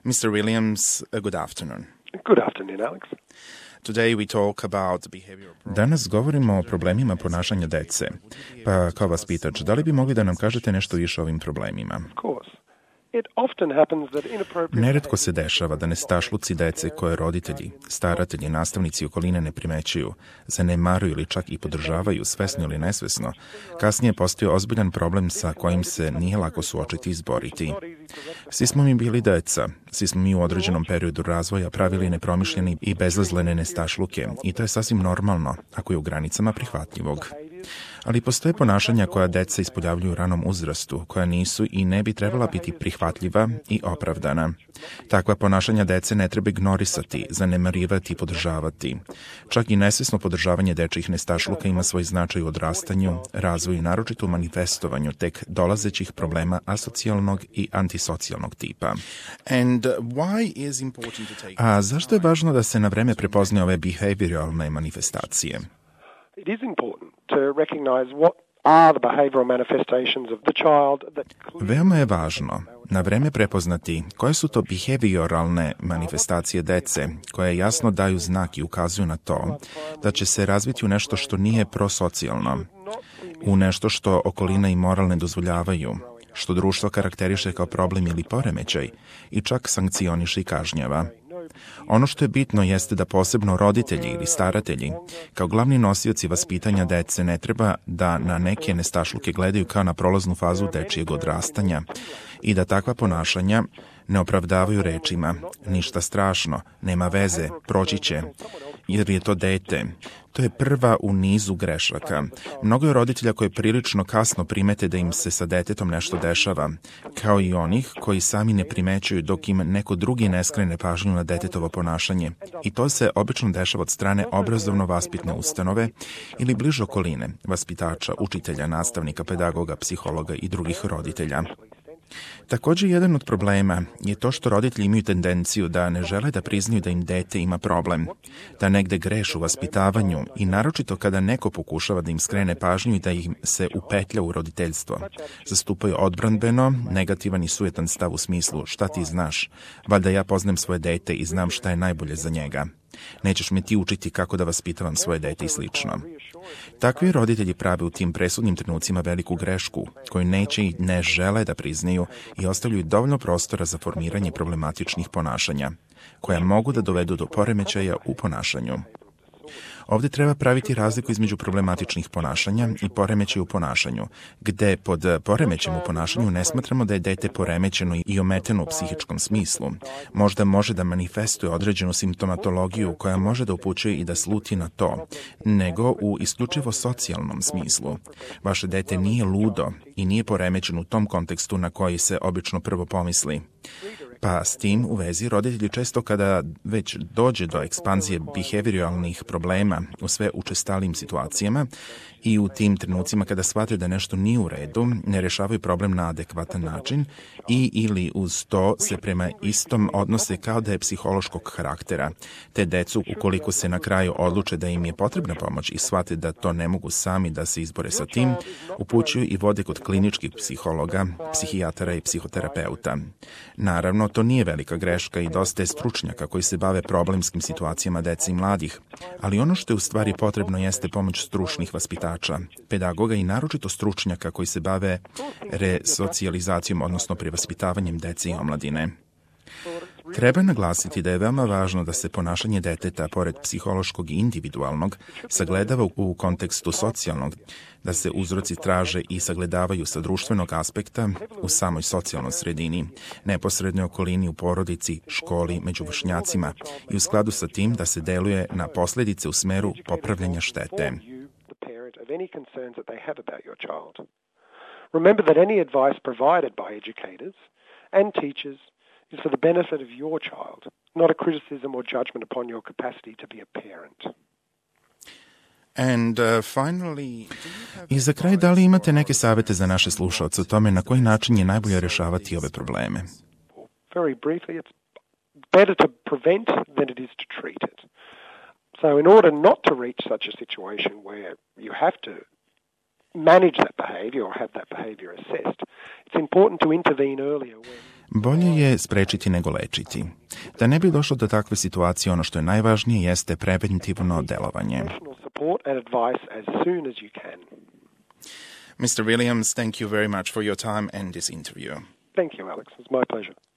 Mr. Williams, good afternoon. Good afternoon, Alex. Today we talk about behavioral problems. Danas govorimo o problemima ponašanja dece. Pa kao vaspitač, da li bi mogli da nam kažete nešto više o ovim problemima? Of course. It often happens that inappropriate... Neretko se dešava da nestašluci dece koje roditelji, staratelji, nastavnici okoline ne primećuju, zanemaruju ili čak i podržavaju, svesno ili nesvesno, kasnije postoji ozbiljan problem sa kojim se nije lako suočiti i izboriti. Svi smo mi bili deca, svi smo mi u određenom periodu razvoja pravili nepromišljeni i bezazlene nestašluke i to je sasvim normalno, ako je u granicama prihvatljivog. Ali postoje ponašanja koja deca ispoljavljuju u ranom uzrastu, koja nisu i ne bi trebala biti prihvatljiva i opravdana. Takva ponašanja dece ne treba ignorisati, zanemarivati i podržavati. Čak i nesvesno podržavanje dečjih nestašluka ima svoj značaj u odrastanju, razvoju i naročito u manifestovanju tek dolazećih problema asocijalnog i antisocijalnog tipa. A zašto je važno da se na vreme prepoznaju ove behavioralne manifestacije? It is important to recognize what are the behavioral manifestations of the child that... Veoma je važno na vreme prepoznati koje su to behavioralne manifestacije dece koje jasno daju znak i ukazuju na to da će se razviti u nešto što nije prosocijalno, u nešto što okolina i moral ne dozvoljavaju, što društvo karakteriše kao problem ili poremećaj i čak sankcioniše i kažnjava. Ono što je bitno jeste da posebno roditelji ili staratelji, kao glavni nosioci vaspitanja dece, ne treba da na neke nestašluke gledaju kao na prolaznu fazu dečijeg odrastanja i da takva ponašanja ne opravdavaju rečima ništa strašno, nema veze, proći će, jer je to dete. To je prva u nizu grešaka. Mnogo je roditelja koji prilično kasno primete da im se sa detetom nešto dešava, kao i onih koji sami ne primećuju dok im neko drugi ne skrene pažnju na detetovo ponašanje. I to se obično dešava od strane obrazovno-vaspitne ustanove ili bliže okoline, vaspitača, učitelja, nastavnika, pedagoga, psihologa i drugih roditelja. Također, jedan od problema je to što roditelji imaju tendenciju da ne žele da priznaju da im dete ima problem, da negde greše u vaspitavanju i naročito kada neko pokušava da im skrene pažnju i da im se upetlja u roditeljstvo. Zastupaju odbranbeno, negativan i sujetan stav u smislu šta ti znaš, valjda ja poznajem svoje dete i znam šta je najbolje za njega. Nećeš me ti učiti kako da vaspitavam svoje dete i slično. Takvi roditelji prave u tim presudnim trenucima veliku grešku, koju neće i ne žele da priznaju i ostavljaju dovoljno prostora za formiranje problematičnih ponašanja, koja mogu da dovedu do poremećaja u ponašanju. Ovdje treba praviti razliku između problematičnih ponašanja i poremećaja u ponašanju, gde pod poremećajem u ponašanju ne smatramo da je dete poremećeno i ometeno u psihičkom smislu. Možda može da manifestuje određenu simptomatologiju koja može da upućuje i da sluti na to, nego u isključivo socijalnom smislu. Vaše dete nije ludo i nije poremećeno u tom kontekstu na koji se obično prvo pomisli. Pa s tim u vezi roditelji često kada već dođe do ekspanzije behavioralnih problema u sve učestalijim situacijama i u tim trenucima kada shvataju da nešto nije u redu, ne rešavaju problem na adekvatan način i ili uz to se prema istom odnose kao da je psihološkog karaktera. Te decu, ukoliko se na kraju odluče da im je potrebna pomoć i shvate da to ne mogu sami da se izbore sa tim, upućuju i vode kod kliničkih psihologa, psihijatara i psihoterapeuta. Naravno, to nije velika greška i dosta je stručnjaka koji se bave problemskim situacijama dece i mladih, ali ono što je u stvari potrebno jeste pomoć stručnih vaspitača, pedagoga i naročito stručnjaka koji se bave resocijalizacijom, odnosno prevaspitavanjem dece i omladine. Treba naglasiti da je veoma važno da se ponašanje deteta, pored psihološkog i individualnog, sagledava u kontekstu socijalnog, da se uzroci traže i sagledavaju sa društvenog aspekta u samoj socijalnoj sredini, neposrednoj okolini u porodici, školi, među vršnjacima i u skladu sa tim da se deluje na posljedice u smeru popravljanja štete. Remember that any advice provided by educators and teachers is for the benefit of your child, not a criticism or judgment upon your capacity to be a parent. I za kraj, da li imate neke savete za naše slušaoce o tome na koji način je najbolje rešavati ove probleme? Very briefly, it's better to prevent than it is to treat it. So in order not to reach such a situation where you have to manage that behavior or have that behavior assessed, it's important to intervene earlier when... Bolje je sprečiti nego lečiti. Da ne bi došlo do takve situacije, ono što je najvažnije jeste preventivno delovanje. Mr. Williams, thank you very much for your time and this interview. Thank you, Alex. It's my pleasure.